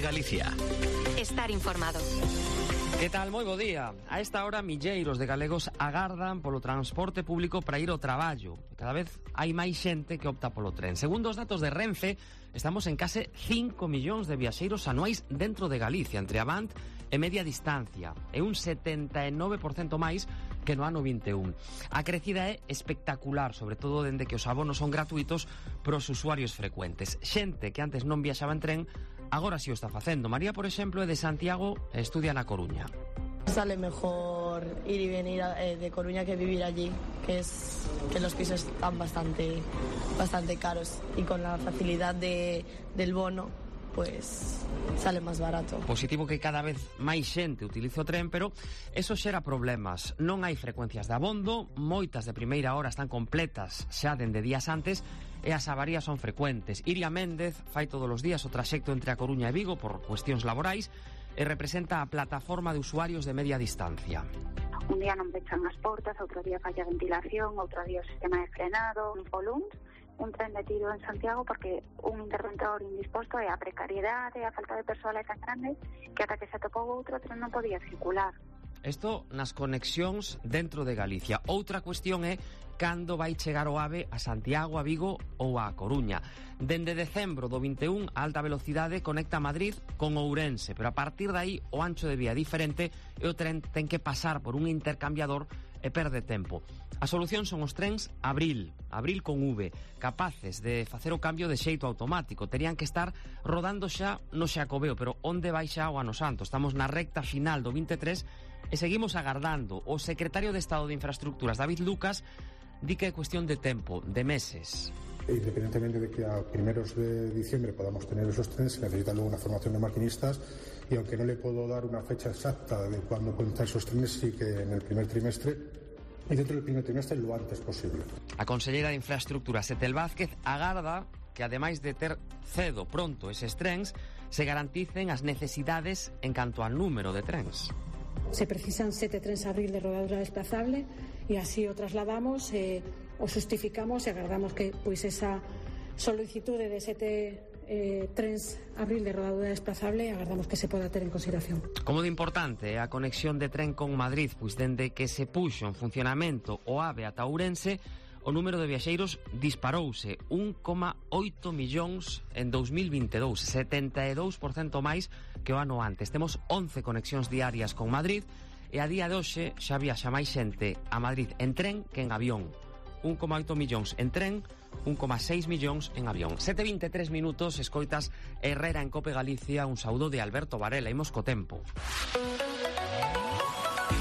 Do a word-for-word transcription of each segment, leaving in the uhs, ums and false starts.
Galicia. Estar informado. Que tal? Moi bo día. A esta hora milleiros de galegos agardan polo transporte público para ir ao traballo. Cada vez hai máis xente que opta polo tren. Segundo os datos de Renfe, estamos en case cinco millóns de viaxeiros anuais dentro de Galicia, entre Avant e media distancia. É un setenta e nove por cento máis que no ano vinte e un. A crecida é espectacular, sobre todo dende que os abonos son gratuitos pros usuarios frecuentes. Xente que antes non viaxaba en tren, agora si o está facendo. María, por exemplo, é de Santiago e estudia na Coruña. Sale mejor ir y venir eh, de Coruña que vivir allí, que es que los pisos están bastante bastante caros y con la facilidad de, del bono pues sale máis barato. Positivo que cada vez máis xente utilice o tren, pero eso xera problemas. Non hai frecuencias de abondo, moitas de primeira hora están completas xa dende días antes e as avarías son frecuentes. Iria Méndez fai todos os días o traxecto entre a Coruña e Vigo por cuestións laborais e representa a plataforma de usuarios de media distancia. Un día non pechan as portas, outro día falla a ventilación, outro día o sistema de frenado, un polunt, un tren detido en Santiago porque un interventor indisposto e a precariedade e a falta de persoal é tan grande que ata que se atopou outro tren non podía circular. Isto nas conexións dentro de Galicia. Outra cuestión é cando vai chegar o AVE a Santiago, a Vigo ou a Coruña. Dende decembro do vinte e un, a alta velocidade conecta Madrid con Ourense, pero a partir de aí o ancho de vía é diferente e o tren ten que pasar por un intercambiador e perde tempo. A solución son os trens Abril, Abril con V, capaces de facer o cambio de xeito automático. Terían que estar rodando xa no Xacobeo, pero onde vai xa o ano santo? Estamos na recta final do vinte e tres e seguimos agardando. O secretario de Estado de Infraestructuras, David Lucas, di que é cuestión de tempo, de meses. Independientemente de que a primeros de diciembre podamos tener esos trenes, se necesita luego una formación de maquinistas y aunque no le puedo dar una fecha exacta de cuándo pueden estar esos trenes, sí que en el primer trimestre y dentro del primer trimestre lo antes posible. A conselleira de Infraestructuras, Etel Vázquez, agarda que ademais de ter cedo pronto eses trens, se garanticen as necesidades en canto ao número de trens. Se precisan sete trens Abril de rodadura desplazable e así o trasladamos, eh, o justificamos e agardamos que pois esa solicitude de sete eh, trens Abril de rodadura desplazable agardamos que se poda ter en consideración. Como de importante é a conexión de tren con Madrid, pois dende que se puxo en funcionamento o AVE ata Ourense, o número de viaxeiros disparouse un coma oito millóns en dous mil vinte e dous, setenta e dous por cento máis que o ano antes. Temos once conexións diarias con Madrid e a día de hoxe xa viaxa máis xente a Madrid en tren que en avión. un coma oito millóns en tren, un coma seis millóns en avión. sete e vinte e tres minutos, escoitas Herrera en Cope Galicia, un saúdo de Alberto Varela. Imos co tempo.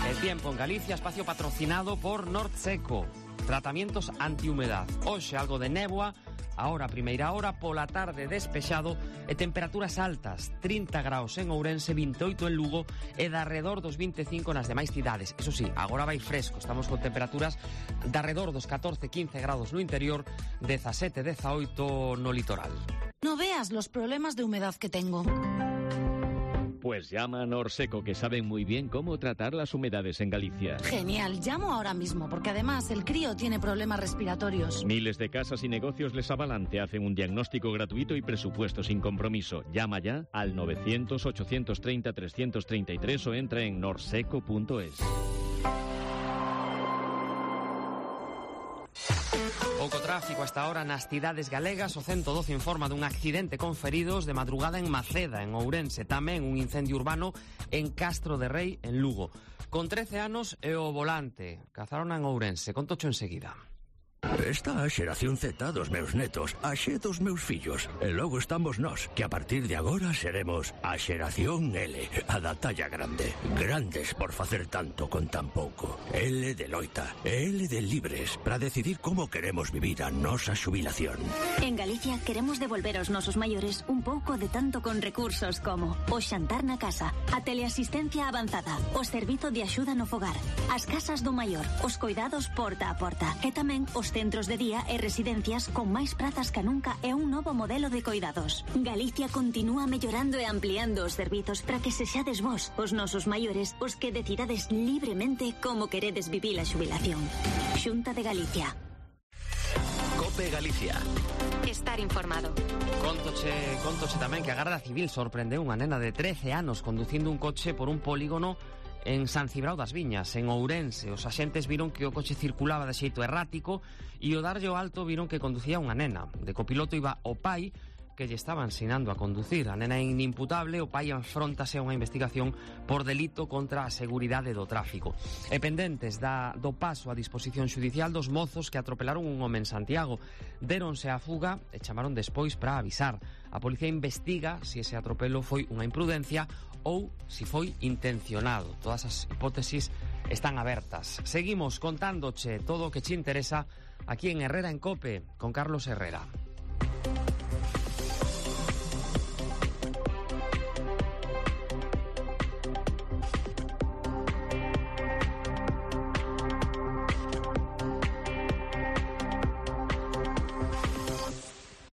El tiempo en Galicia, espacio patrocinado por Norseco. Tratamientos antihumedad. Hoxe algo de néboa, ahora primeira hora, pola tarde despexado e temperaturas altas, trinta graus en Ourense, vinte e oito en Lugo e de arredor dos vinte e cinco nas demais cidades. Eso sí, agora vai fresco, estamos con temperaturas de arredor dos catorce quince grados no interior, dezasete dezaoito no litoral. No veas los problemas de humedad que tengo. Pues llama a Norseco, que saben muy bien cómo tratar las humedades en Galicia. Genial, llamo ahora mismo, porque además el crío tiene problemas respiratorios. Miles de casas y negocios les avalan, te hacen un diagnóstico gratuito y presupuesto sin compromiso. Llama ya al novecientos ochocientos treinta trescientos treinta y tres o entra en norseco punto es. Pouco tráfico hasta ahora nas cidades galegas. O ciento doce informa dun accidente con feridos de madrugada en Maceda, en Ourense. Tamén un incendio urbano en Castro de Rei, en Lugo. Con trece anos e o volante. Cazaron en Ourense. Contocho enseguida. Está a xeración Z dos meus netos, a xe dos meus fillos. E logo estamos nós, que a partir de agora seremos a xeración L, a da talla grande. Grandes por facer tanto con tan pouco. L de loita, L de libres, para decidir como queremos vivir a nosa xubilación. En Galicia queremos devolver aos nosos maiores un pouco de tanto con recursos como o xantar na casa, a teleasistencia avanzada, o servizo de axuda no fogar, as casas do maior, os coidados porta a porta e tamén os centros de día e residencias con máis prazas que nunca e un novo modelo de coidados. Galicia continúa mellorando e ampliando os servizos para que sexades vos, os nosos maiores, os que decidades libremente como queredes vivir a xubilación. Xunta de Galicia. Cope Galicia. Estar informado. Contoche, contoche tamén que a Garda Civil sorprendeu unha nena de trece anos conducindo un coche por un polígono en San Cibrao das Viñas, en Ourense. Os axentes viron que o coche circulaba de xeito errático e o darlle o alto viron que conducía unha nena. De copiloto iba o pai, que lle estaba ensinando a conducir. A nena é inimputable, o pai enfróntase a unha investigación por delito contra a seguridade do tráfico. E pendentes da, do paso a disposición xudicial dos mozos que atropelaron un home en Santiago. Déronse a fuga e chamaron despois para avisar. A policía investiga se ese atropelo foi unha imprudencia ou se foi intencionado. Todas as hipótesis están abertas. Seguimos contándoche todo o que che interesa aquí en Herrera en Cope con Carlos Herrera.